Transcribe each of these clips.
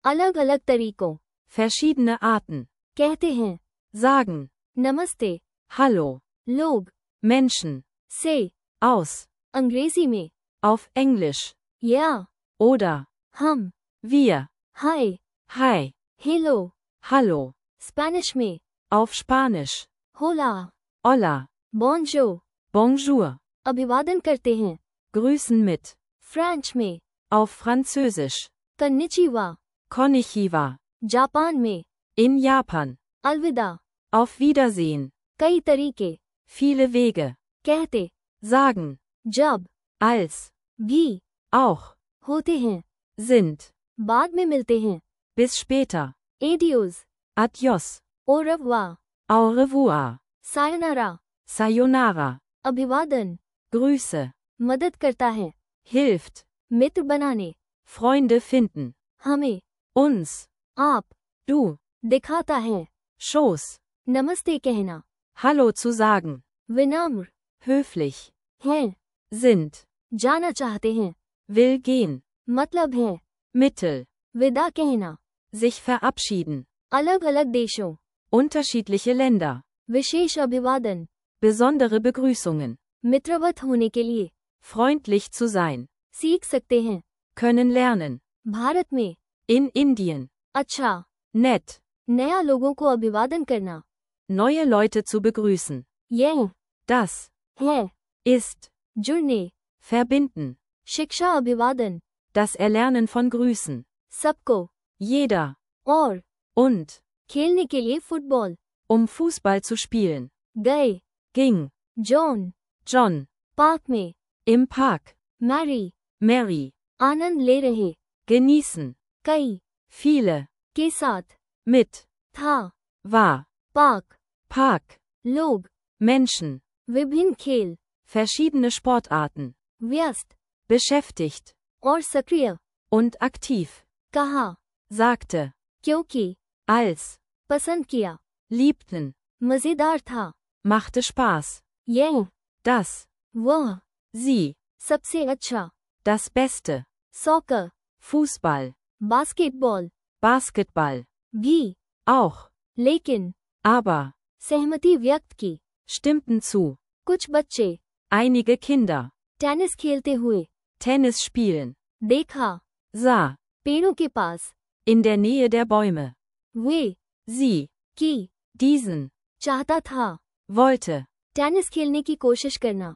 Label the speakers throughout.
Speaker 1: अलग अलग तरीकों,
Speaker 2: verschiedene Arten,
Speaker 1: कहते हैं,
Speaker 2: sagen,
Speaker 1: नमस्ते,
Speaker 2: Hallo,
Speaker 1: लोग,
Speaker 2: Menschen,
Speaker 1: से,
Speaker 2: aus,
Speaker 1: अंग्रेजी में,
Speaker 2: auf Englisch,
Speaker 1: या,
Speaker 2: oder,
Speaker 1: हम,
Speaker 2: wir,
Speaker 1: हाय,
Speaker 2: hi,
Speaker 1: हेलो,
Speaker 2: hallo,
Speaker 1: स्पेनिश में,
Speaker 2: auf Spanisch,
Speaker 1: होला,
Speaker 2: hola,
Speaker 1: बोंजो,
Speaker 2: bonjour,
Speaker 1: अभिवादन करते हैं,
Speaker 2: grüßen mit,
Speaker 1: फ्रेंच में,
Speaker 2: auf Französisch,
Speaker 1: कन्निचिवा,
Speaker 2: konnichiwa,
Speaker 1: जापान में,
Speaker 2: in Japan,
Speaker 1: अलविदा,
Speaker 2: auf Wiedersehen,
Speaker 1: कई तरीके,
Speaker 2: viele Wege,
Speaker 1: कहते,
Speaker 2: sagen,
Speaker 1: जब,
Speaker 2: als,
Speaker 1: भी,
Speaker 2: auch,
Speaker 1: होते हैं,
Speaker 2: sind,
Speaker 1: बाद में मिलते हैं,
Speaker 2: bis später,
Speaker 1: एडियोज,
Speaker 2: adios,
Speaker 1: au revoir,
Speaker 2: au revoir,
Speaker 1: sayonara,
Speaker 2: sayonara,
Speaker 1: अभिवादन,
Speaker 2: Grüße,
Speaker 1: मदद करता है,
Speaker 2: hilft,
Speaker 1: मित्र बनाने,
Speaker 2: Freunde finden,
Speaker 1: हमें,
Speaker 2: uns,
Speaker 1: आप,
Speaker 2: du,
Speaker 1: दिखाता है,
Speaker 2: Schoß,
Speaker 1: नमस्ते कहना,
Speaker 2: Hallo zu sagen,
Speaker 1: विनम्र,
Speaker 2: höflich,
Speaker 1: हैं,
Speaker 2: sind,
Speaker 1: जाना चाहते हैं,
Speaker 2: will gehen,
Speaker 1: मतलब है,
Speaker 2: Mittel,
Speaker 1: विदा कहना,
Speaker 2: sich verabschieden,
Speaker 1: अलग अलग देशों,
Speaker 2: unterschiedliche Länder,
Speaker 1: विशेष अभिवादन,
Speaker 2: besondere Begrüßungen,
Speaker 1: मित्रवत होने के लिए,
Speaker 2: freundlich zu sein,
Speaker 1: सीख सकते हैं,
Speaker 2: können lernen,
Speaker 1: भारत में,
Speaker 2: in Indien,
Speaker 1: अच्छा,
Speaker 2: nett,
Speaker 1: नया लोगों को अभिवादन करना,
Speaker 2: neue Leute zu begrüßen,
Speaker 1: यह,
Speaker 2: das,
Speaker 1: है,
Speaker 2: ist,
Speaker 1: जुड़ने,
Speaker 2: verbinden,
Speaker 1: शिक्षा अभिवादन,
Speaker 2: das Erlernen von Grüßen,
Speaker 1: सबको,
Speaker 2: jeder,
Speaker 1: और,
Speaker 2: und,
Speaker 1: खेलने के लिए फुटबॉल,
Speaker 2: Fußball zu spielen,
Speaker 1: गए,
Speaker 2: ging,
Speaker 1: जॉन,
Speaker 2: John,
Speaker 1: पार्क में,
Speaker 2: im Park,
Speaker 1: मैरी,
Speaker 2: Mary,
Speaker 1: आनंद ले रहे,
Speaker 2: genießen,
Speaker 1: कई,
Speaker 2: viele,
Speaker 1: के साथ,
Speaker 2: mit,
Speaker 1: था,
Speaker 2: war,
Speaker 1: पार्क,
Speaker 2: Park,
Speaker 1: लोग,
Speaker 2: Menschen,
Speaker 1: विभिन्न खेल,
Speaker 2: verschiedene Sportarten,
Speaker 1: व्यस्त,
Speaker 2: beschäftigt,
Speaker 1: और सक्रिय,
Speaker 2: und aktiv,
Speaker 1: कहा,
Speaker 2: sagte,
Speaker 1: क्योंकि,
Speaker 2: als,
Speaker 1: पसंद किया,
Speaker 2: liebten,
Speaker 1: मजेदार था,
Speaker 2: machte Spaß,
Speaker 1: यह,
Speaker 2: das,
Speaker 1: वह,
Speaker 2: sie,
Speaker 1: सबसे अच्छा,
Speaker 2: das Beste,
Speaker 1: soccer,
Speaker 2: Fußball,
Speaker 1: basketball,
Speaker 2: Basketball,
Speaker 1: भी,
Speaker 2: auch,
Speaker 1: लेकिन,
Speaker 2: aber,
Speaker 1: सहमति व्यक्त की,
Speaker 2: stimmten zu,
Speaker 1: कुछ बच्चे,
Speaker 2: einige Kinder,
Speaker 1: टेनिस खेलते हुए,
Speaker 2: Tennis spielen,
Speaker 1: देखा,
Speaker 2: sah,
Speaker 1: पेड़ों के पास,
Speaker 2: in der Nähe der Bäume,
Speaker 1: वे,
Speaker 2: sie,
Speaker 1: की,
Speaker 2: diesen,
Speaker 1: चाहता था,
Speaker 2: wollte,
Speaker 1: टेनिस खेलने की कोशिश करना,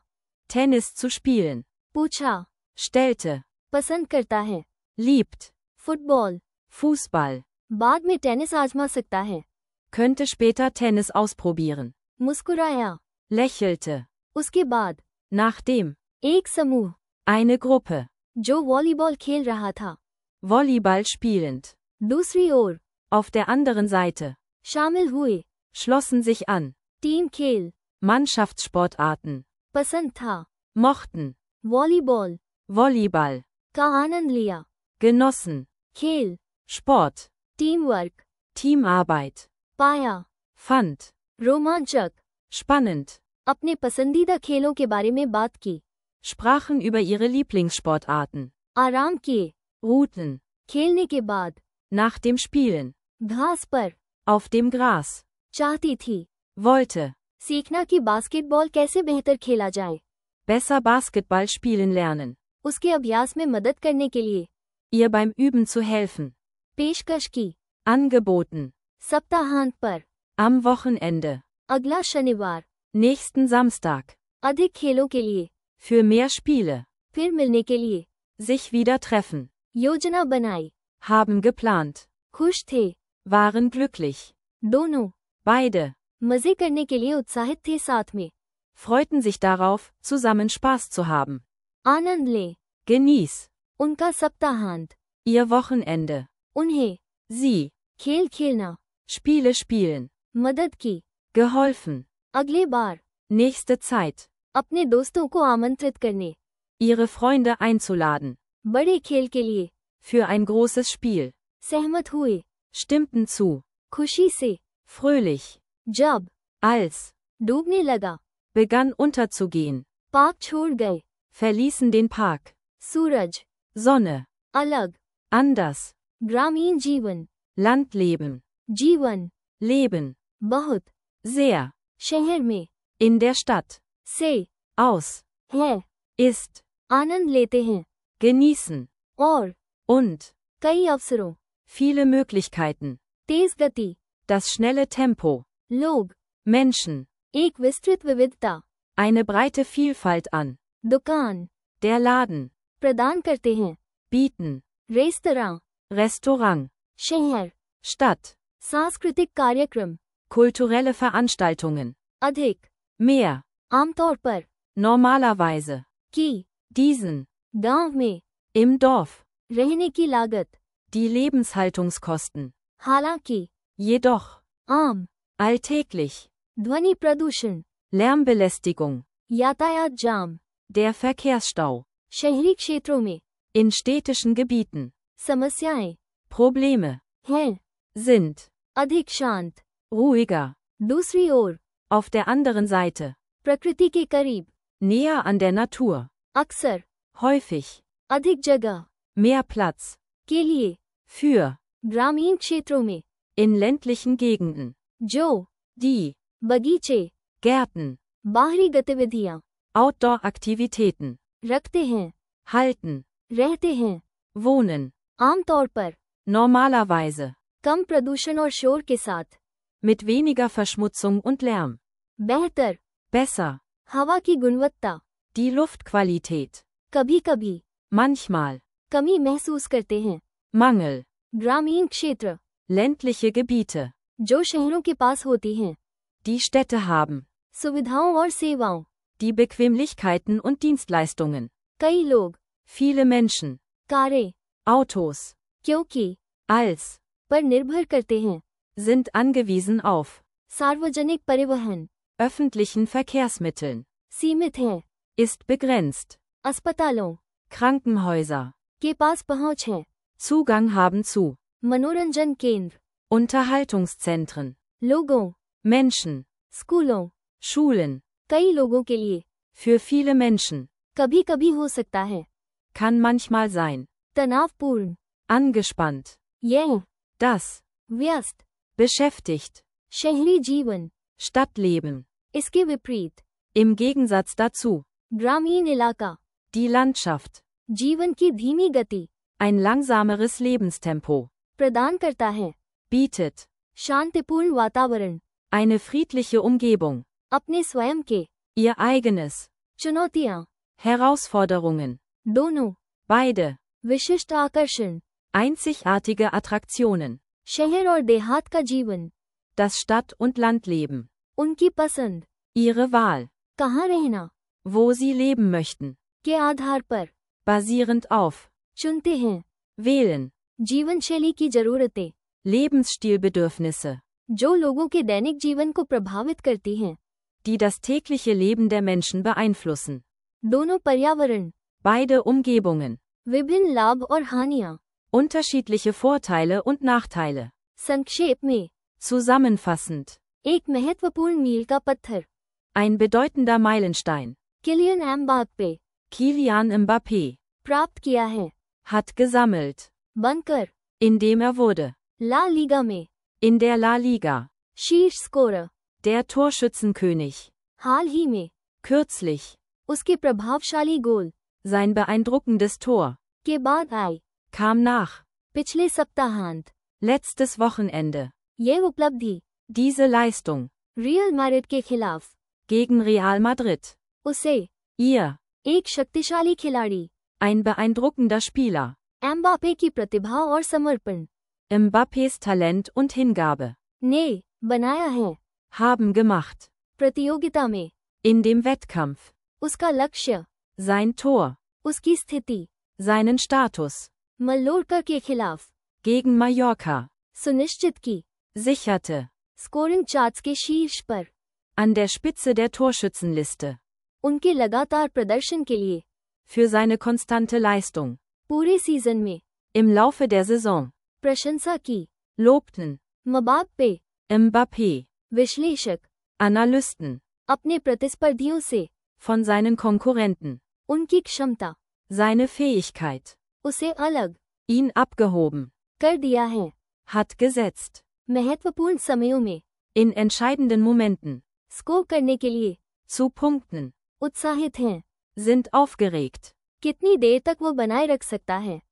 Speaker 2: Tennis zu spielen,
Speaker 1: पूछा,
Speaker 2: stellte,
Speaker 1: पसंद करता है,
Speaker 2: liebt,
Speaker 1: फुटबॉल,
Speaker 2: Fußball,
Speaker 1: बाद में टेनिस आजमा सकता है,
Speaker 2: könnte später Tennis ausprobieren,
Speaker 1: मुस्कुराया,
Speaker 2: lächelte,
Speaker 1: उसके बाद,
Speaker 2: nachdem,
Speaker 1: एक समूह,
Speaker 2: eine Gruppe,
Speaker 1: जो वॉलीबॉल खेल रहा था,
Speaker 2: Volleyball spielend,
Speaker 1: दूसरी ओर,
Speaker 2: auf der anderen Seite,
Speaker 1: शामिल हुए,
Speaker 2: schlossen sich an,
Speaker 1: टीम खेल,
Speaker 2: Mannschaftssportarten,
Speaker 1: पसंद था,
Speaker 2: mochten,
Speaker 1: वॉलीबॉल,
Speaker 2: Volleyball,
Speaker 1: का आनंद लिया,
Speaker 2: genossen,
Speaker 1: खेल,
Speaker 2: Sport,
Speaker 1: टीम वर्क,
Speaker 2: Teamarbeit,
Speaker 1: पाया,
Speaker 2: fand,
Speaker 1: रोमांचक,
Speaker 2: spannend,
Speaker 1: अपने पसंदीदा खेलों के बारे में बात की,
Speaker 2: sprachen über ihre Lieblingssportarten,
Speaker 1: आराम किए,
Speaker 2: ruhten,
Speaker 1: खेलने के बाद,
Speaker 2: nach dem Spielen,
Speaker 1: घास पर,
Speaker 2: auf dem Gras,
Speaker 1: चाहती थी,
Speaker 2: wollte,
Speaker 1: सीखना कि बास्केटबॉल कैसे बेहतर खेला जाए,
Speaker 2: besser Basketball spielen lernen,
Speaker 1: उसके अभ्यास में मदद करने के लिए,
Speaker 2: ihr beim Üben zu helfen,
Speaker 1: पेशकश की,
Speaker 2: angeboten,
Speaker 1: सप्ताहांत पर,
Speaker 2: am Wochenende,
Speaker 1: अगला शनिवार,
Speaker 2: nächsten Samstag,
Speaker 1: अधिक खेलों के लिए,
Speaker 2: für mehr Spiele,
Speaker 1: फिर मिलने के लिए,
Speaker 2: sich wieder treffen,
Speaker 1: योजना बनाई,
Speaker 2: haben geplant,
Speaker 1: खुश थे,
Speaker 2: waren glücklich,
Speaker 1: दोनों,
Speaker 2: beide,
Speaker 1: मजे करने के लिए उत्साहित थे साथ में,
Speaker 2: freuten sich darauf, zusammen Spaß zu haben,
Speaker 1: आनंद ले,
Speaker 2: genieß,
Speaker 1: उनका सप्ताहांत,
Speaker 2: ihr Wochenende,
Speaker 1: उन्हें,
Speaker 2: sie,
Speaker 1: खेल खेलना,
Speaker 2: Spiele spielen,
Speaker 1: मदद की,
Speaker 2: geholfen,
Speaker 1: अगले बार,
Speaker 2: nächste Zeit,
Speaker 1: अपने दोस्तों को आमंत्रित करने,
Speaker 2: ihre Freunde einzuladen,
Speaker 1: बड़े खेल के लिए,
Speaker 2: für ein großes Spiel,
Speaker 1: सहमत हुए,
Speaker 2: stimmten zu,
Speaker 1: खुशी से,
Speaker 2: fröhlich,
Speaker 1: जब,
Speaker 2: als,
Speaker 1: डूबने लगा,
Speaker 2: begann unterzugehen,
Speaker 1: पार्क छोड़ गए,
Speaker 2: verließen den Park,
Speaker 1: सूरज,
Speaker 2: Sonne,
Speaker 1: अलग,
Speaker 2: anders,
Speaker 1: ग्रामीण जीवन,
Speaker 2: Landleben,
Speaker 1: जीवन,
Speaker 2: Leben,
Speaker 1: बहुत,
Speaker 2: sehr,
Speaker 1: शहर में,
Speaker 2: in der Stadt,
Speaker 1: से,
Speaker 2: aus,
Speaker 1: है,
Speaker 2: ist,
Speaker 1: आनंद लेते हैं,
Speaker 2: genießen,
Speaker 1: और,
Speaker 2: und,
Speaker 1: कई अवसरों,
Speaker 2: viele Möglichkeiten,
Speaker 1: तेज गति,
Speaker 2: das schnelle Tempo,
Speaker 1: लोग,
Speaker 2: Menschen,
Speaker 1: एक विस्तृत विविधता,
Speaker 2: eine breite Vielfalt an,
Speaker 1: दुकान,
Speaker 2: der Laden,
Speaker 1: प्रदान करते हैं,
Speaker 2: bieten,
Speaker 1: रेस्तरां,
Speaker 2: Restaurant,
Speaker 1: शहर,
Speaker 2: Stadt,
Speaker 1: सांस्कृतिक कार्यक्रम,
Speaker 2: kulturelle Veranstaltungen,
Speaker 1: अधिक,
Speaker 2: mehr,
Speaker 1: आमतौर पर,
Speaker 2: normalerweise,
Speaker 1: की,
Speaker 2: diesen,
Speaker 1: गांव में,
Speaker 2: im Dorf,
Speaker 1: रहने की लागत,
Speaker 2: die Lebenshaltungskosten,
Speaker 1: हालांकि,
Speaker 2: jedoch,
Speaker 1: आम,
Speaker 2: alltäglich,
Speaker 1: ध्वनि प्रदूषण,
Speaker 2: Lärmbelästigung,
Speaker 1: यातायात जाम,
Speaker 2: der Verkehrsstau,
Speaker 1: शहरी क्षेत्रों में,
Speaker 2: in städtischen Gebieten,
Speaker 1: समस्याएं,
Speaker 2: Probleme,
Speaker 1: हैं,
Speaker 2: sind,
Speaker 1: अधिक शांत,
Speaker 2: ruhiger,
Speaker 1: दूसरी ओर,
Speaker 2: auf der anderen Seite,
Speaker 1: प्रकृति के करीब,
Speaker 2: näher an der Natur,
Speaker 1: अक्सर,
Speaker 2: häufig,
Speaker 1: अधिक जगह,
Speaker 2: mehr Platz,
Speaker 1: के लिए,
Speaker 2: für,
Speaker 1: ग्रामीण क्षेत्रों में,
Speaker 2: in ländlichen Gegenden,
Speaker 1: जो,
Speaker 2: die,
Speaker 1: बगीचे,
Speaker 2: Gärten,
Speaker 1: बाहरी गतिविधियां,
Speaker 2: Outdoor-Aktivitäten,
Speaker 1: रखते हैं,
Speaker 2: halten,
Speaker 1: रहते हैं,
Speaker 2: wohnen,
Speaker 1: आमतौर पर,
Speaker 2: normalerweise,
Speaker 1: कम प्रदूषण और शोर के साथ,
Speaker 2: mit weniger Verschmutzung und Lärm,
Speaker 1: बेहतर,
Speaker 2: besser,
Speaker 1: हवा की गुणवत्ता,
Speaker 2: die Luftqualität,
Speaker 1: कभी कभी,
Speaker 2: manchmal,
Speaker 1: कमी महसूस करते हैं,
Speaker 2: Mangel,
Speaker 1: ग्रामीण क्षेत्र,
Speaker 2: ländliche Gebiete,
Speaker 1: जो शहरों के पास होती हैं,
Speaker 2: die Städte haben,
Speaker 1: सुविधाओं और सेवाओं,
Speaker 2: die Bequemlichkeiten und Dienstleistungen,
Speaker 1: कई लोग,
Speaker 2: viele Menschen,
Speaker 1: कारें,
Speaker 2: Autos,
Speaker 1: क्योंकि,
Speaker 2: als,
Speaker 1: पर निर्भर करते हैं,
Speaker 2: sind angewiesen auf,
Speaker 1: सार्वजनिक परिवहन,
Speaker 2: öffentlichen Verkehrsmitteln,
Speaker 1: सीमित हैं,
Speaker 2: ist begrenzt,
Speaker 1: अस्पतालों,
Speaker 2: Krankenhäuser,
Speaker 1: के पास पहुंच है,
Speaker 2: Zugang haben zu,
Speaker 1: मनोरंजन केंद्र,
Speaker 2: Unterhaltungszentren,
Speaker 1: लोगों,
Speaker 2: Menschen,
Speaker 1: स्कूलों,
Speaker 2: Schulen,
Speaker 1: कई लोगों के लिए,
Speaker 2: für viele Menschen,
Speaker 1: कभी कभी हो सकता है,
Speaker 2: kann manchmal sein,
Speaker 1: तनावपूर्ण,
Speaker 2: angespannt,
Speaker 1: यह,
Speaker 2: das,
Speaker 1: व्यस्त,
Speaker 2: beschäftigt,
Speaker 1: शहरी जीवन,
Speaker 2: Stadtleben,
Speaker 1: इसके विपरीत,
Speaker 2: im Gegensatz dazu,
Speaker 1: ग्रामीण इलाका,
Speaker 2: die Landschaft,
Speaker 1: जीवन की धीमी गति,
Speaker 2: ein langsameres Lebenstempo,
Speaker 1: प्रदान करता है,
Speaker 2: bietet,
Speaker 1: शांतिपूर्ण वातावरण,
Speaker 2: eine friedliche Umgebung,
Speaker 1: अपने स्वयं के,
Speaker 2: ihr eigenes,
Speaker 1: चुनौतियां,
Speaker 2: Herausforderungen,
Speaker 1: दोनों,
Speaker 2: beide,
Speaker 1: विशिष्ट आकर्षण,
Speaker 2: einzigartige Attraktionen,
Speaker 1: शहर और देहात का जीवन,
Speaker 2: das Stadt- und Landleben,
Speaker 1: उनकी पसंद,
Speaker 2: ihre Wahl,
Speaker 1: कहाँ रहना,
Speaker 2: wo sie leben möchten,
Speaker 1: के आधार पर,
Speaker 2: basierend auf,
Speaker 1: चुनते हैं,
Speaker 2: wählen,
Speaker 1: जीवन शैली की जरूरतें,
Speaker 2: Lebensstilbedürfnisse,
Speaker 1: जो लोगों के दैनिक जीवन को प्रभावित करती हैं,
Speaker 2: die das tägliche Leben der Menschen beeinflussen,
Speaker 1: दोनों पर्यावरण,
Speaker 2: beide Umgebungen,
Speaker 1: विभिन्न लाभ और हानियां,
Speaker 2: unterschiedliche Vorteile und Nachteile,
Speaker 1: संक्षेप में,
Speaker 2: zusammenfassend,
Speaker 1: एक महत्वपूर्ण मील का पत्थर,
Speaker 2: ein bedeutender Meilenstein,
Speaker 1: Kylian Mbappe,
Speaker 2: Kylian Mbappé,
Speaker 1: प्राप्त किया है,
Speaker 2: hat gesammelt,
Speaker 1: बनकर,
Speaker 2: indem wurde,
Speaker 1: ला लीगा में,
Speaker 2: in der La Liga,
Speaker 1: शीर्ष स्कोरर,
Speaker 2: der Torschützenkönig,
Speaker 1: हाल ही में,
Speaker 2: kürzlich,
Speaker 1: उसके प्रभावशाली गोल,
Speaker 2: sein beeindruckendes Tor,
Speaker 1: के बाद आई,
Speaker 2: kam nach,
Speaker 1: पिछले सप्ताहांत,
Speaker 2: letztes Wochenende,
Speaker 1: ये उपलब्धि,
Speaker 2: diese Leistung,
Speaker 1: रियल मैड्रिड के खिलाफ,
Speaker 2: gegen Real Madrid,
Speaker 1: उसे,
Speaker 2: ihr,
Speaker 1: एक शक्तिशाली खिलाड़ी,
Speaker 2: ein beeindruckender Spieler,
Speaker 1: एम्बाप्पे की प्रतिभा और समर्पण,
Speaker 2: Mbappés Talent und Hingabe,
Speaker 1: ने, बनाया है,
Speaker 2: haben gemacht,
Speaker 1: प्रतियोगिता में,
Speaker 2: in dem Wettkampf,
Speaker 1: उसका लक्ष्य,
Speaker 2: sein Tor,
Speaker 1: उसकी स्थिति,
Speaker 2: seinen Status,
Speaker 1: मल्लोर्का के खिलाफ,
Speaker 2: gegen Mallorca,
Speaker 1: सुनिश्चित की,
Speaker 2: sicherte,
Speaker 1: स्कोरिंग चार्ट्स के शीर्ष पर,
Speaker 2: an der Spitze der Torschützenliste,
Speaker 1: उनके लगातार प्रदर्शन के लिए,
Speaker 2: für seine konstante Leistung,
Speaker 1: पूरे सीजन में,
Speaker 2: im Laufe der Saison,
Speaker 1: प्रशंसा की,
Speaker 2: lobten,
Speaker 1: मबाप्पे,
Speaker 2: Mbappé,
Speaker 1: विश्लेषक,
Speaker 2: Analysten,
Speaker 1: अपने प्रतिस्पर्धियों से,
Speaker 2: von seinen Konkurrenten,
Speaker 1: उनकी क्षमता,
Speaker 2: seine Fähigkeit,
Speaker 1: उसे अलग,
Speaker 2: ihn abgehoben,
Speaker 1: कर दिया है।
Speaker 2: hat gesetzt.
Speaker 1: महत्वपूर्ण समयों में,
Speaker 2: In entscheidenden Momenten.
Speaker 1: स्कोर करने के लिए,
Speaker 2: Zu punkten.
Speaker 1: उत्साहित हैं।
Speaker 2: Sind aufgeregt.
Speaker 1: कितनी देर तक वो बनाए रख सकता है,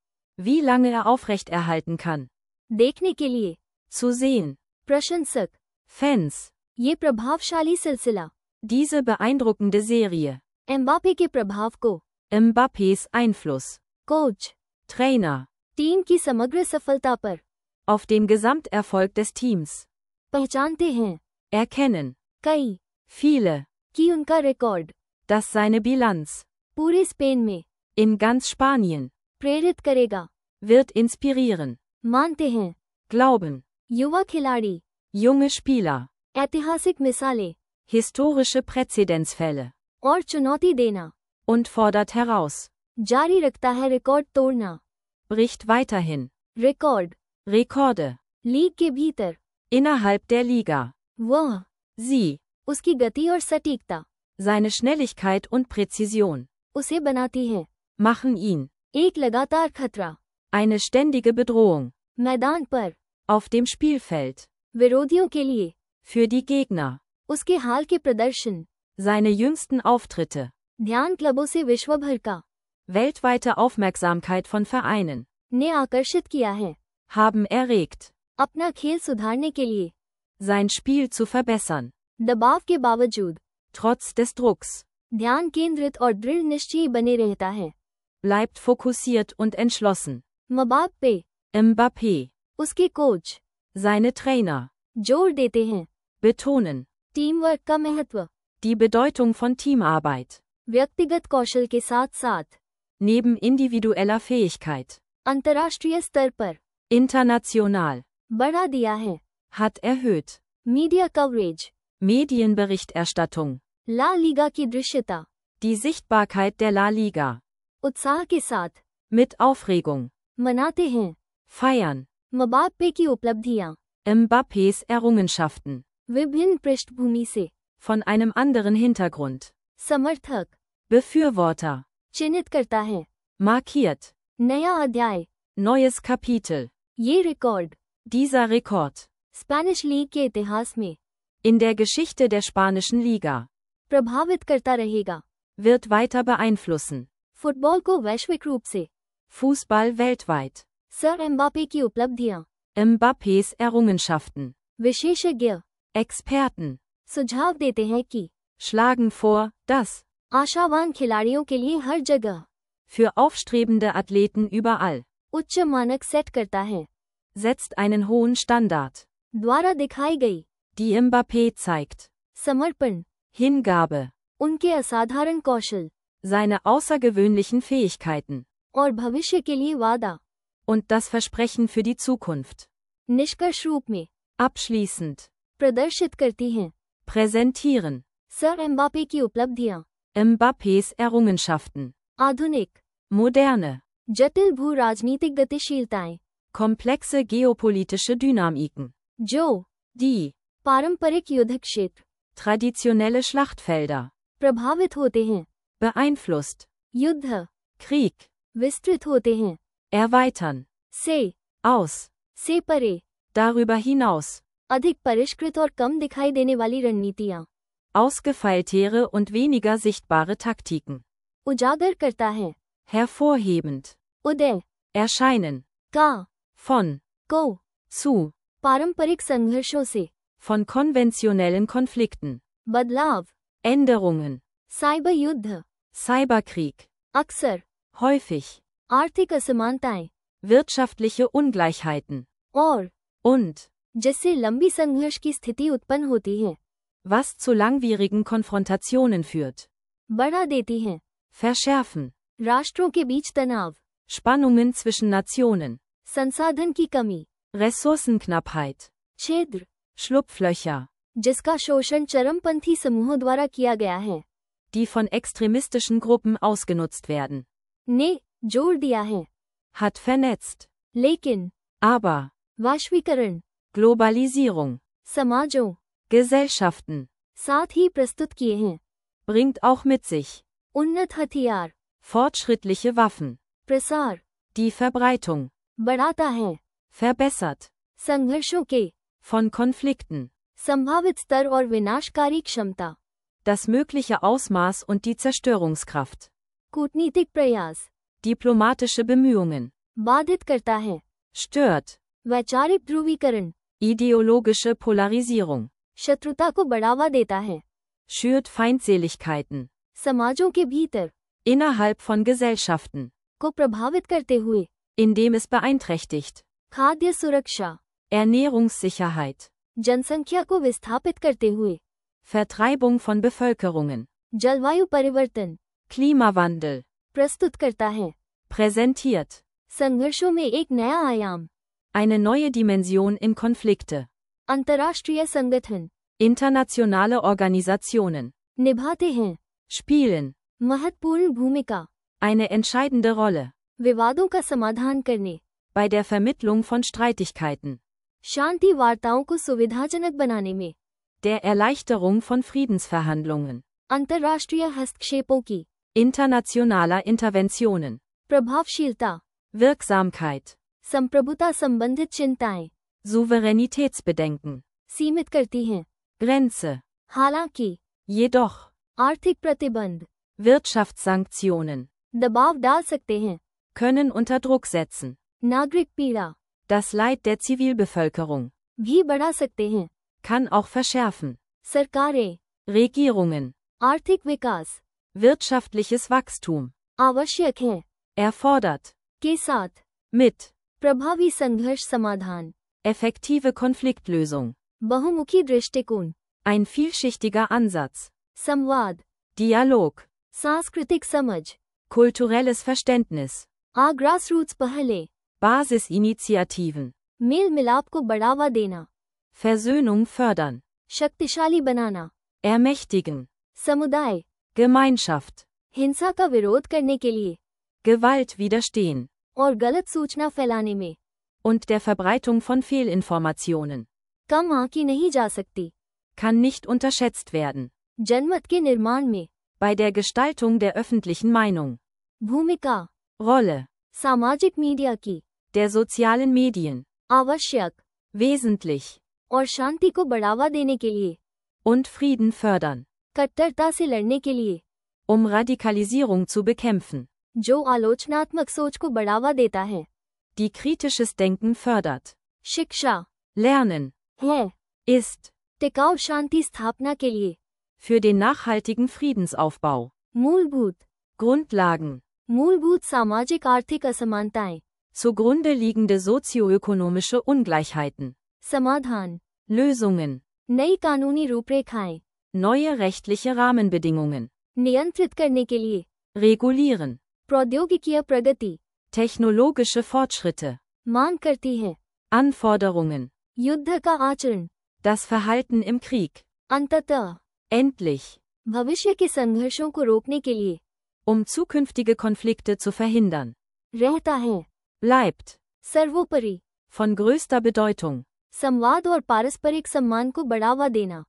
Speaker 2: Wie lange er aufrechterhalten kann.
Speaker 1: देखने के लिए,
Speaker 2: Zu sehen.
Speaker 1: प्रशंसक,
Speaker 2: Fans.
Speaker 1: ये प्रभावशाली सिलसिला,
Speaker 2: Diese beeindruckende Serie.
Speaker 1: एम्बापे के प्रभाव को,
Speaker 2: Mbappés Einfluss.
Speaker 1: Coach,
Speaker 2: Trainer.
Speaker 1: Team की समग्र सफलता पर,
Speaker 2: Auf dem Gesamterfolg des Teams.
Speaker 1: पहचानते हैं,
Speaker 2: Erkennen.
Speaker 1: कई,
Speaker 2: Viele.
Speaker 1: कि उनका रिकॉर्ड,
Speaker 2: Dass seine Bilanz.
Speaker 1: पूरे स्पेन में,
Speaker 2: In ganz Spanien.
Speaker 1: प्रेरित करेगा,
Speaker 2: Wird inspirieren.
Speaker 1: मानते हैं,
Speaker 2: Glauben.
Speaker 1: युवा खिलाड़ी,
Speaker 2: Junge Spieler.
Speaker 1: ऐतिहासिक मिसालें,
Speaker 2: Historische Präzedenzfälle.
Speaker 1: और चुनौती देना,
Speaker 2: Und fordert heraus.
Speaker 1: जारी रखता है रिकॉर्ड तोड़ना,
Speaker 2: Bricht weiterhin.
Speaker 1: Record,
Speaker 2: Rekorde.
Speaker 1: League के भीतर,
Speaker 2: Innerhalb der Liga.
Speaker 1: वह,
Speaker 2: Sie.
Speaker 1: उसकी गति और सटीकता,
Speaker 2: Seine Schnelligkeit und Präzision.
Speaker 1: उसे बनाती है,
Speaker 2: Machen ihn.
Speaker 1: एक लगातार खतरा,
Speaker 2: Eine ständige Bedrohung.
Speaker 1: मैदान पर,
Speaker 2: Auf dem Spielfeld.
Speaker 1: विरोधियों के लिए,
Speaker 2: Für die Gegner.
Speaker 1: उसके हाल के प्रदर्शन,
Speaker 2: Seine jüngsten Auftritte.
Speaker 1: ध्यान क्लबों से विश्व भर का,
Speaker 2: Weltweite Aufmerksamkeit von Vereinen.
Speaker 1: ने आकर्षित किया है,
Speaker 2: Haben erregt.
Speaker 1: अपना खेल सुधारने के लिए,
Speaker 2: Sein Spiel zu verbessern.
Speaker 1: दबाव के बावजूद,
Speaker 2: Trotz des Drucks.
Speaker 1: ध्यान केंद्रित और दृढ़ निश्चयी बने रहता है,
Speaker 2: Bleibt fokussiert und entschlossen.
Speaker 1: मबाप्पे,
Speaker 2: Mbappé.
Speaker 1: उसके कोच,
Speaker 2: Seine Trainer.
Speaker 1: जोर देते हैं,
Speaker 2: Betonen.
Speaker 1: टीम वर्क का महत्व,
Speaker 2: Die Bedeutung von Teamarbeit.
Speaker 1: व्यक्तिगत कौशल के साथ साथ,
Speaker 2: Neben individueller Fähigkeit.
Speaker 1: अंतर्राष्ट्रीय स्तर पर,
Speaker 2: International.
Speaker 1: बढ़ा दिया है,
Speaker 2: Hat erhöht.
Speaker 1: Media coverage,
Speaker 2: Medienberichterstattung.
Speaker 1: La Liga की दृश्यता,
Speaker 2: Die Sichtbarkeit der La Liga.
Speaker 1: उत्साह के साथ,
Speaker 2: Mit Aufregung.
Speaker 1: मनाते हैं,
Speaker 2: Feiern.
Speaker 1: मबाप्पे की उपलब्धियां,
Speaker 2: Mbappés Errungenschaften.
Speaker 1: विभिन्न पृष्ठभूमि से,
Speaker 2: Von einem anderen Hintergrund.
Speaker 1: समर्थक,
Speaker 2: Befürworter.
Speaker 1: चिन्हित करता है,
Speaker 2: Markiert.
Speaker 1: नया अध्याय,
Speaker 2: Neues Kapitel.
Speaker 1: ये record,
Speaker 2: Dieser Rekord.
Speaker 1: Spanish league के इतिहास में,
Speaker 2: In der Geschichte der spanischen Liga.
Speaker 1: प्रभावित करता रहेगा,
Speaker 2: Wird weiter beeinflussen.
Speaker 1: फुटबॉल को वैश्विक रूप से,
Speaker 2: Fußball weltweit.
Speaker 1: सर एम्बापे की उपलब्धियां,
Speaker 2: Mbappés Errungenschaften.
Speaker 1: विशेषज्ञ,
Speaker 2: Experten.
Speaker 1: सुझाव देते हैं कि,
Speaker 2: Schlagen vor, dass.
Speaker 1: आशावान खिलाड़ियों के लिए हर जगह,
Speaker 2: Für aufstrebende Athleten überall.
Speaker 1: उच्च मानक सेट करता है,
Speaker 2: Setzt einen hohen Standard.
Speaker 1: द्वारा दिखाई गई,
Speaker 2: Die Mbappé zeigt.
Speaker 1: समर्पण,
Speaker 2: Hingabe.
Speaker 1: उनके असाधारण कौशल,
Speaker 2: Seine außergewöhnlichen Fähigkeiten.
Speaker 1: और भविष्य के लिए वादा,
Speaker 2: Und das Versprechen für die Zukunft.
Speaker 1: निष्कर्ष रूप में,
Speaker 2: Abschließend.
Speaker 1: प्रदर्शित करती हैं,
Speaker 2: Präsentieren.
Speaker 1: सर एम्बापे की उपलब्धियां,
Speaker 2: Mbappés Errungenschaften.
Speaker 1: आधुनिक,
Speaker 2: Moderne.
Speaker 1: जटिल भू राजनीतिक गतिशीलताएं,
Speaker 2: Komplexe geopolitische Dynamiken.
Speaker 1: जो,
Speaker 2: Die.
Speaker 1: पारंपरिक युद्ध क्षेत्र,
Speaker 2: Traditionelle Schlachtfelder.
Speaker 1: प्रभावित होते हैं,
Speaker 2: Beeinflusst.
Speaker 1: युद्ध,
Speaker 2: Krieg.
Speaker 1: विस्तृत होते हैं,
Speaker 2: Erweitern.
Speaker 1: से,
Speaker 2: Aus.
Speaker 1: से परे,
Speaker 2: Darüber hinaus.
Speaker 1: अधिक परिष्कृत और कम दिखाई देने वाली रणनीतियां,
Speaker 2: Ausgefeiltere und weniger sichtbare Taktiken.
Speaker 1: उजागर करता है,
Speaker 2: Hervorhebend.
Speaker 1: उदय,
Speaker 2: Erscheinen.
Speaker 1: का,
Speaker 2: Von.
Speaker 1: को,
Speaker 2: Zu.
Speaker 1: पारंपरिक संघर्षों से,
Speaker 2: Von konventionellen Konflikten.
Speaker 1: बदलाव,
Speaker 2: Änderungen.
Speaker 1: साइबर युद्ध,
Speaker 2: Cyberkrieg.
Speaker 1: अक्सर,
Speaker 2: Häufig.
Speaker 1: आर्थिक असमानताएं,
Speaker 2: Wirtschaftliche Ungleichheiten.
Speaker 1: और,
Speaker 2: Und.
Speaker 1: जिससे लंबी संघर्ष की स्थिति उत्पन्न होती है,
Speaker 2: Was zu langwierigen Konfrontationen führt.
Speaker 1: बढ़ा देती हैं,
Speaker 2: Verschärfen.
Speaker 1: राष्ट्रों के बीच तनाव,
Speaker 2: Spannungen zwischen Nationen.
Speaker 1: संसाधन की कमी,
Speaker 2: Ressourcenknappheit.
Speaker 1: छिद्र,
Speaker 2: Schlupflöcher.
Speaker 1: जिसका शोषण चरमपंथी समूहों द्वारा किया गया है,
Speaker 2: Die von extremistischen Gruppen ausgenutzt werden.
Speaker 1: ने जोड़ दिया है,
Speaker 2: Hat vernetzt.
Speaker 1: लेकिन,
Speaker 2: Aber.
Speaker 1: वैश्वीकरण,
Speaker 2: Globalisierung.
Speaker 1: समाजों,
Speaker 2: Gesellschaften.
Speaker 1: साथ ही प्रस्तुत किए हैं,
Speaker 2: Bringt auch mit sich.
Speaker 1: उन्नत हथियार,
Speaker 2: Fortschrittliche Waffen.
Speaker 1: प्रसार,
Speaker 2: Die Verbreitung.
Speaker 1: बढ़ाता है,
Speaker 2: verbessert.
Speaker 1: संघर्षों के
Speaker 2: Von Konflikten.
Speaker 1: संभावित स्तर और विनाशकारी क्षमता,
Speaker 2: Das mögliche Ausmaß und die Zerstörungskraft.
Speaker 1: कूटनीतिक प्रयास,
Speaker 2: Diplomatische Bemühungen.
Speaker 1: बाधित करता है,
Speaker 2: Stört.
Speaker 1: वैचारिक ध्रुवीकरण,
Speaker 2: Ideologische Polarisierung.
Speaker 1: शत्रुता को बढ़ावा देता है,
Speaker 2: Schürt Feindseligkeiten.
Speaker 1: समाजों के भीतर
Speaker 2: Innerhalb von Gesellschaften.
Speaker 1: को प्रभावित करते हुए,
Speaker 2: Indem es beeinträchtigt.
Speaker 1: खाद्य सुरक्षा,
Speaker 2: Ernährungssicherheit.
Speaker 1: जनसंख्या को विस्थापित करते हुए,
Speaker 2: Vertreibung von Bevölkerungen.
Speaker 1: जलवायु परिवर्तन,
Speaker 2: Klimawandel.
Speaker 1: प्रस्तुत करता है,
Speaker 2: Präsentiert.
Speaker 1: संघर्षों में एक नया आयाम,
Speaker 2: Eine neue Dimension in Konflikte.
Speaker 1: अंतर्राष्ट्रीय संगठन,
Speaker 2: Internationale Organisationen.
Speaker 1: निभाते हैं,
Speaker 2: Spielen.
Speaker 1: महत्वपूर्ण भूमिका,
Speaker 2: Eine entscheidende Rolle.
Speaker 1: विवादों का समाधान करने,
Speaker 2: Bei der Vermittlung von Streitigkeiten.
Speaker 1: शांति वार्ताओं को सुविधाजनक बनाने में,
Speaker 2: Der Erleichterung von Friedensverhandlungen.
Speaker 1: अंतर्राष्ट्रीय हस्तक्षेपों की,
Speaker 2: Internationaler Interventionen.
Speaker 1: प्रभावशीलता,
Speaker 2: Wirksamkeit.
Speaker 1: संप्रभुता संबंधित चिंताएं,
Speaker 2: Souveränitätsbedenken.
Speaker 1: सीमित करती हैं,
Speaker 2: Grenze.
Speaker 1: हालांकि
Speaker 2: Jedoch.
Speaker 1: आर्थिक प्रतिबंध,
Speaker 2: Wirtschaftssanktionen.
Speaker 1: दबाव डाल सकते हैं,
Speaker 2: Können unter Druck setzen.
Speaker 1: नागरिक पीड़ा
Speaker 2: Das Leid der Zivilbevölkerung.
Speaker 1: भी बढ़ा सकते हैं,
Speaker 2: Kann auch verschärfen.
Speaker 1: सरकारें,
Speaker 2: Regierungen.
Speaker 1: आर्थिक विकास
Speaker 2: Wirtschaftliches Wachstum.
Speaker 1: आवश्यक है,
Speaker 2: Erfordert.
Speaker 1: के साथ
Speaker 2: Mit.
Speaker 1: प्रभावी संघर्ष समाधान,
Speaker 2: Effektive Konfliktlösung.
Speaker 1: बहुमुखी दृष्टिकोण,
Speaker 2: Ein vielschichtiger Ansatz.
Speaker 1: संवाद,
Speaker 2: Dialog.
Speaker 1: सांस्कृतिक समझ,
Speaker 2: Kulturelles Verständnis.
Speaker 1: ग्रासरूट्स पहले,
Speaker 2: Basisinitiativen.
Speaker 1: मेल मिलाप को बढ़ावा देना,
Speaker 2: Versöhnung fördern.
Speaker 1: शक्तिशाली बनाना,
Speaker 2: Ermächtigen.
Speaker 1: समुदाय,
Speaker 2: Gemeinschaft.
Speaker 1: हिंसा का विरोध करने के लिए
Speaker 2: Gewalt widerstehen.
Speaker 1: और गलत सूचना फैलाने में
Speaker 2: Und der Verbreitung von Fehlinformationen.
Speaker 1: कम आंकी नहीं जा सकती,
Speaker 2: Kann nicht unterschätzt werden.
Speaker 1: जनमत के निर्माण में
Speaker 2: Bei der Gestaltung der öffentlichen Meinung.
Speaker 1: भूमिका,
Speaker 2: Rolle.
Speaker 1: सामाजिक मीडिया की,
Speaker 2: Der sozialen Medien.
Speaker 1: आवश्यक
Speaker 2: Wesentlich.
Speaker 1: और शांति को बढ़ावा देने के लिए,
Speaker 2: Und Frieden fördern.
Speaker 1: कट्टरता से लड़ने के लिए,
Speaker 2: Um Radikalisierung zu bekämpfen.
Speaker 1: जो आलोचनात्मक सोच को बढ़ावा देता है,
Speaker 2: Die kritisches Denken fördert.
Speaker 1: शिक्षा
Speaker 2: Lernen.
Speaker 1: है,
Speaker 2: Ist.
Speaker 1: टिकाऊ शांति स्थापना के लिए,
Speaker 2: Für den nachhaltigen Friedensaufbau.
Speaker 1: मूलभूत
Speaker 2: Grundlagen.
Speaker 1: मूलभूत सामाजिक आर्थिक असमानताएं,
Speaker 2: Zugrunde liegende sozioökonomische Ungleichheiten.
Speaker 1: समाधान,
Speaker 2: Lösungen.
Speaker 1: नई कानूनी रूपरेखाएं,
Speaker 2: Neue rechtliche Rahmenbedingungen.
Speaker 1: नियंत्रित करने के लिए,
Speaker 2: Regulieren.
Speaker 1: प्रौद्योगिकीय प्रगति,
Speaker 2: Technologische Fortschritte.
Speaker 1: मांग करती है,
Speaker 2: Anforderungen.
Speaker 1: युद्ध का आचरण,
Speaker 2: Das Verhalten im Krieg.
Speaker 1: अंततः
Speaker 2: Endlich.
Speaker 1: भविष्य के संघर्षों को रोकने के लिए
Speaker 2: Um zukünftige Konflikte zu verhindern.
Speaker 1: रहता है,
Speaker 2: Bleibt.
Speaker 1: सर्वोपरि
Speaker 2: Von größter Bedeutung.
Speaker 1: संवाद और पारस्परिक सम्मान को बढ़ावा देना,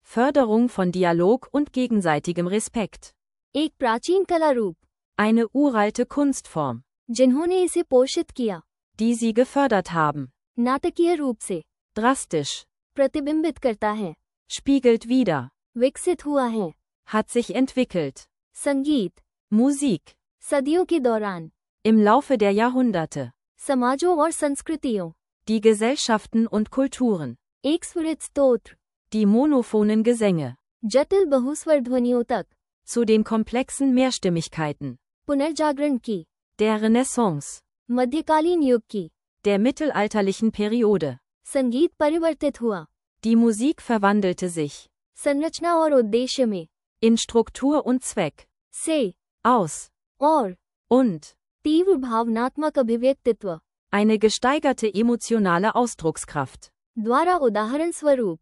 Speaker 2: Förderung von Dialog und gegenseitigem Respekt.
Speaker 1: एक प्राचीन कला रूप
Speaker 2: Eine uralte Kunstform.
Speaker 1: जिन्होंने इसे पोषित किया,
Speaker 2: Die sie gefördert haben.
Speaker 1: नाटकीय रूप से
Speaker 2: Drastisch.
Speaker 1: प्रतिबिंबित करता है,
Speaker 2: Spiegelt wider.
Speaker 1: विकसित हुआ है,
Speaker 2: Hat sich entwickelt.
Speaker 1: संगीत
Speaker 2: Musik.
Speaker 1: सदियों के दौरान
Speaker 2: Im Laufe der Jahrhunderte.
Speaker 1: समाजों और संस्कृतियों,
Speaker 2: Die Gesellschaften und Kulturen.
Speaker 1: एक स्वरित स्तोत्र,
Speaker 2: Die monophonen Gesänge.
Speaker 1: जटिल बहुस्वर ध्वनियों तक,
Speaker 2: Zu den komplexen Mehrstimmigkeiten.
Speaker 1: पुनर्जागरण की,
Speaker 2: Der Renaissance.
Speaker 1: मध्यकालीन युग की,
Speaker 2: Der mittelalterlichen Periode.
Speaker 1: संगीत परिवर्तित हुआ,
Speaker 2: Die Musik verwandelte sich.
Speaker 1: संरचना और उद्देश्य में
Speaker 2: In Struktur und Zweck.
Speaker 1: से
Speaker 2: Aus.
Speaker 1: और
Speaker 2: Und.
Speaker 1: तीव्र भावनात्मक अभिव्यक्तित्व
Speaker 2: Eine gesteigerte emotionale Ausdruckskraft.
Speaker 1: द्वारा उदाहरण स्वरूप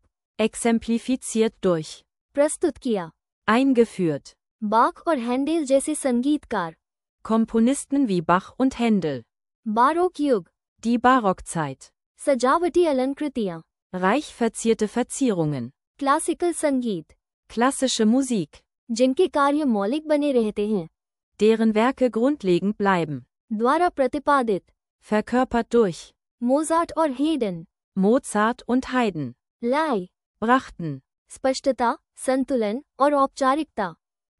Speaker 2: Exemplifiziert durch.
Speaker 1: प्रस्तुत किया,
Speaker 2: Eingeführt.
Speaker 1: बाख और हैंडेल जैसे संगीतकार,
Speaker 2: Komponisten wie Bach und Händel.
Speaker 1: Barog युग,
Speaker 2: Die Barockzeit.
Speaker 1: सजावटी अलंकृतियां,
Speaker 2: Reich verzierte Verzierungen.
Speaker 1: क्लासिकल संगीत,
Speaker 2: Klassische Musik.
Speaker 1: जिनके कार्य मौलिक बने रहते हैं,
Speaker 2: Deren Werke grundlegend bleiben.
Speaker 1: द्वारा प्रतिपादित,
Speaker 2: Verkörpert durch.
Speaker 1: मोजार्ट और हेडन।
Speaker 2: Mozart und Haydn
Speaker 1: लय,
Speaker 2: brachten
Speaker 1: स्पष्टता, संतुलन और औपचारिकता।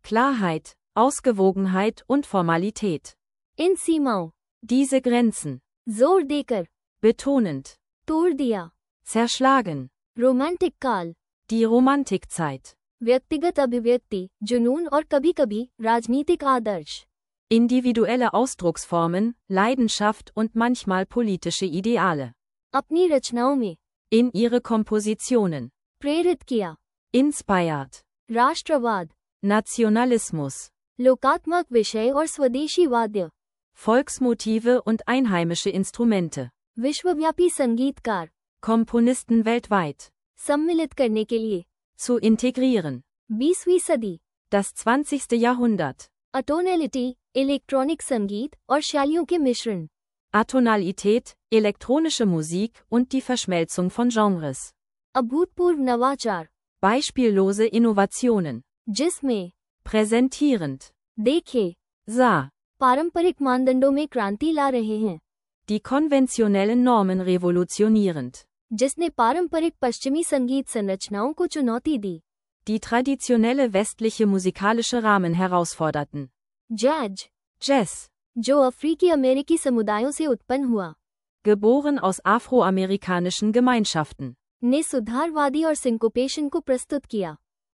Speaker 2: Klarheit, Ausgewogenheit und Formalität.
Speaker 1: इन सीमाओं,
Speaker 2: Diese Grenzen,
Speaker 1: जोर देकर,
Speaker 2: betonend,
Speaker 1: तोड़ दिया।
Speaker 2: zerschlagen,
Speaker 1: रोमांटिक काल,
Speaker 2: die Romantikzeit,
Speaker 1: व्यक्तिगत अभिव्यक्ति, जुनून और कभी-कभी राजनीतिक आदर्श।
Speaker 2: individuelle Ausdrucksformen, Leidenschaft und manchmal politische Ideale.
Speaker 1: अपनी रचनाओं में
Speaker 2: In ihre Kompositionen,
Speaker 1: प्रेरित किया।
Speaker 2: inspired,
Speaker 1: राष्ट्रवाद,
Speaker 2: Nationalismus,
Speaker 1: लोकात्मक विषय और स्वदेशी वाद्य,
Speaker 2: Volksmotive und einheimische Instrumente,
Speaker 1: विश्वव्यापी संगीतकार,
Speaker 2: Komponisten weltweit,
Speaker 1: सम्मिलित करने के लिए।
Speaker 2: zu integrieren.
Speaker 1: 20वीं सदी,
Speaker 2: Das 20. Jahrhundert.
Speaker 1: अटोनैलिटी, इलेक्ट्रॉनिक संगीत और शैलियों के मिश्रण।
Speaker 2: Atonalität, elektronische Musik und die Verschmelzung von Genres.
Speaker 1: अभूतपूर्व नवाचार,
Speaker 2: Beispiellose Innovationen.
Speaker 1: जिसमें
Speaker 2: Präsentierend.
Speaker 1: देखे,
Speaker 2: Sah.
Speaker 1: पारंपरिक मानदंडों में क्रांति ला रहे हैं,
Speaker 2: Die konventionellen Normen revolutionierend.
Speaker 1: जिसने पारंपरिक पश्चिमी संगीत संरचनाओं को चुनौती दी।
Speaker 2: Die traditionelle westliche musikalische Rahmen herausforderten.
Speaker 1: Jazz,
Speaker 2: Jazz.
Speaker 1: जो अफ्रीकी अमेरिकी समुदायों से उत्पन्न हुआ,
Speaker 2: Geboren aus afroamerikanischen Gemeinschaften.
Speaker 1: ने सुधारवादी और सिंकोपेशन को प्रस्तुत किया।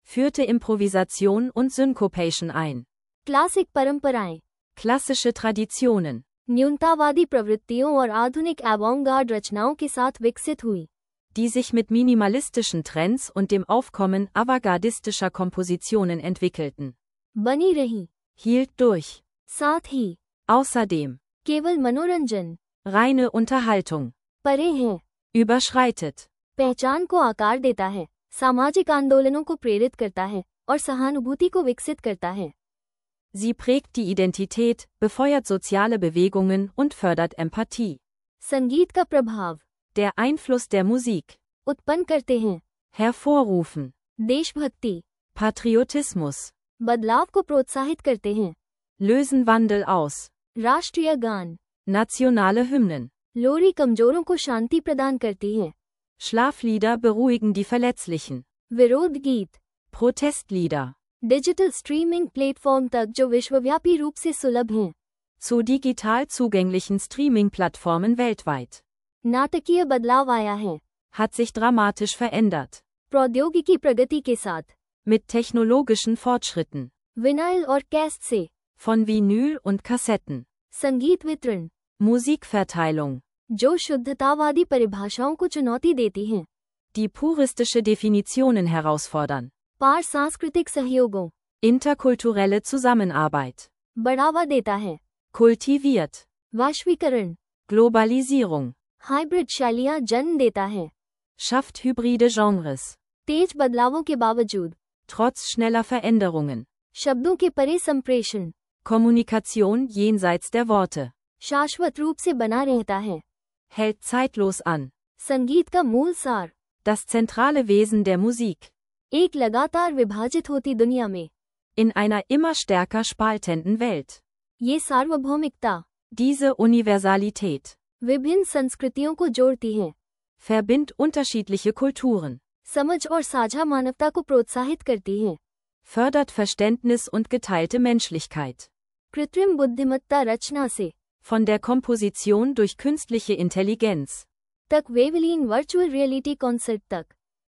Speaker 2: Führte Improvisation und Syncopation ein.
Speaker 1: Classic परंपराएं,
Speaker 2: Klassische Traditionen.
Speaker 1: न्यूनतावादी प्रवृत्तियों और आधुनिक एवॉन्गार्ड रचनाओं के साथ विकसित हुई,
Speaker 2: Die sich mit minimalistischen Trends und dem Aufkommen avantgardistischer Kompositionen entwickelten.
Speaker 1: बनी रही।
Speaker 2: Hielt durch.
Speaker 1: साथ ही
Speaker 2: Außerdem.
Speaker 1: केवल मनोरंजन,
Speaker 2: Reine Unterhaltung.
Speaker 1: परे है,
Speaker 2: Überschreitet.
Speaker 1: पहचान को आकार देता है, सामाजिक आंदोलनों को प्रेरित करता है और सहानुभूति को विकसित करता है।
Speaker 2: Sie prägt die Identität, befeuert soziale Bewegungen und fördert Empathie.
Speaker 1: संगीत का प्रभाव,
Speaker 2: Der Einfluss der Musik.
Speaker 1: उत्पन्न करते हैं,
Speaker 2: Hervorrufen.
Speaker 1: देशभक्ति,
Speaker 2: Patriotismus.
Speaker 1: बदलाव को प्रोत्साहित करते हैं,
Speaker 2: Lösen Wandel aus.
Speaker 1: राष्ट्रीय गान,
Speaker 2: Nationale Hymnen.
Speaker 1: लोरी कमजोरों को शांति प्रदान करती है,
Speaker 2: Schlaflieder beruhigen die Verletzlichen.
Speaker 1: विरोध गीत,
Speaker 2: Protestlieder.
Speaker 1: डिजिटल स्ट्रीमिंग प्लेटफॉर्म तक जो विश्वव्यापी रूप से सुलभ हैं,
Speaker 2: Zu digital zugänglichen Streaming-Plattformen weltweit.
Speaker 1: नाटकीय बदलाव आया है,
Speaker 2: Hat sich dramatisch verändert.
Speaker 1: प्रौद्योगिकी प्रगति के साथ,
Speaker 2: Mit technologischen Fortschritten.
Speaker 1: विनाइल और कैस्ट से,
Speaker 2: Von Vinyl und Kassetten.
Speaker 1: संगीत वितरण,
Speaker 2: Musikverteilung.
Speaker 1: जो शुद्धतावादी परिभाषाओं को चुनौती देती हैं,
Speaker 2: Die puristische Definitionen herausfordern.
Speaker 1: पार सांस्कृतिक सहयोगों,
Speaker 2: Interkulturelle Zusammenarbeit.
Speaker 1: बढ़ावा देता है,
Speaker 2: Kultiviert.
Speaker 1: वैश्वीकरण,
Speaker 2: Globalisierung.
Speaker 1: हाइब्रिड शैलियाँ जन्म देता है,
Speaker 2: Schafft hybride Genres.
Speaker 1: तेज बदलावों के बावजूद,
Speaker 2: Trotz schneller Veränderungen.
Speaker 1: शब्दों के परे संप्रेषण,
Speaker 2: Kommunikation jenseits der Worte.
Speaker 1: शाश्वत रूप से बना रहता है।
Speaker 2: Hält zeitlos an.
Speaker 1: संगीत का मूल सार,
Speaker 2: Das zentrale Wesen der Musik.
Speaker 1: एक लगातार विभाजित होती दुनिया में,
Speaker 2: In einer immer stärker spaltenden Welt.
Speaker 1: ये सार्वभौमिकता,
Speaker 2: Diese Universalität.
Speaker 1: विभिन्न संस्कृतियों को जोड़ती है,
Speaker 2: Verbindet unterschiedliche Kulturen.
Speaker 1: समझ और साझा मानवता को प्रोत्साहित करती है।
Speaker 2: Fördert Verständnis und geteilte Menschlichkeit.
Speaker 1: कृत्रिम बुद्धिमत्ता रचना से
Speaker 2: Von der Komposition durch künstliche Intelligenz.
Speaker 1: तक वेवलीन वर्चुअल रियलिटी कॉन्सर्ट तक,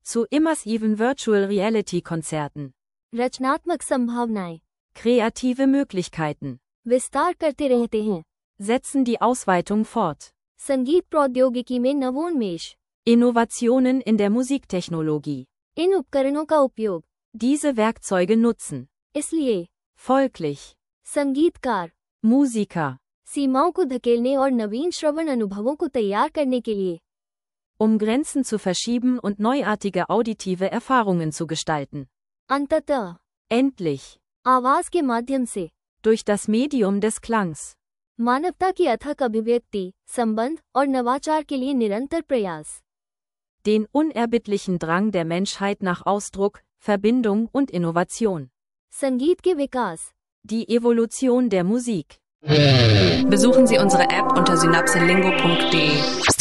Speaker 2: Zu immersiven Virtual Reality Konzerten.
Speaker 1: रचनात्मक संभावनाएं
Speaker 2: Kreative Möglichkeiten.
Speaker 1: विस्तार करते रहते हैं।
Speaker 2: Setzen die Ausweitung fort.
Speaker 1: संगीत प्रौद्योगिकी में नवोन्मेष,
Speaker 2: Innovationen in der Musiktechnologie.
Speaker 1: इन उपकरणों का उपयोग,
Speaker 2: Diese Werkzeuge nutzen.
Speaker 1: इसलिए
Speaker 2: Folglich.
Speaker 1: संगीतकार
Speaker 2: Musiker.
Speaker 1: सीमाओं को धकेलने और नवीन श्रवण अनुभवों को तैयार करने के लिए
Speaker 2: Um Grenzen zu verschieben und neuartige auditive Erfahrungen zu gestalten.
Speaker 1: अंततः
Speaker 2: Endlich.
Speaker 1: आवाज के माध्यम से
Speaker 2: Durch das Medium des Klangs.
Speaker 1: मानवता की अथक अभिव्यक्ति, संबंध और नवाचार के लिए निरंतर प्रयास।
Speaker 2: Den unerbittlichen Drang der Menschheit nach Ausdruck, Verbindung und Innovation.
Speaker 1: संगीत के विकास,
Speaker 2: Die Evolution der Musik.
Speaker 3: Besuchen Sie unsere App unter synapselingo.de.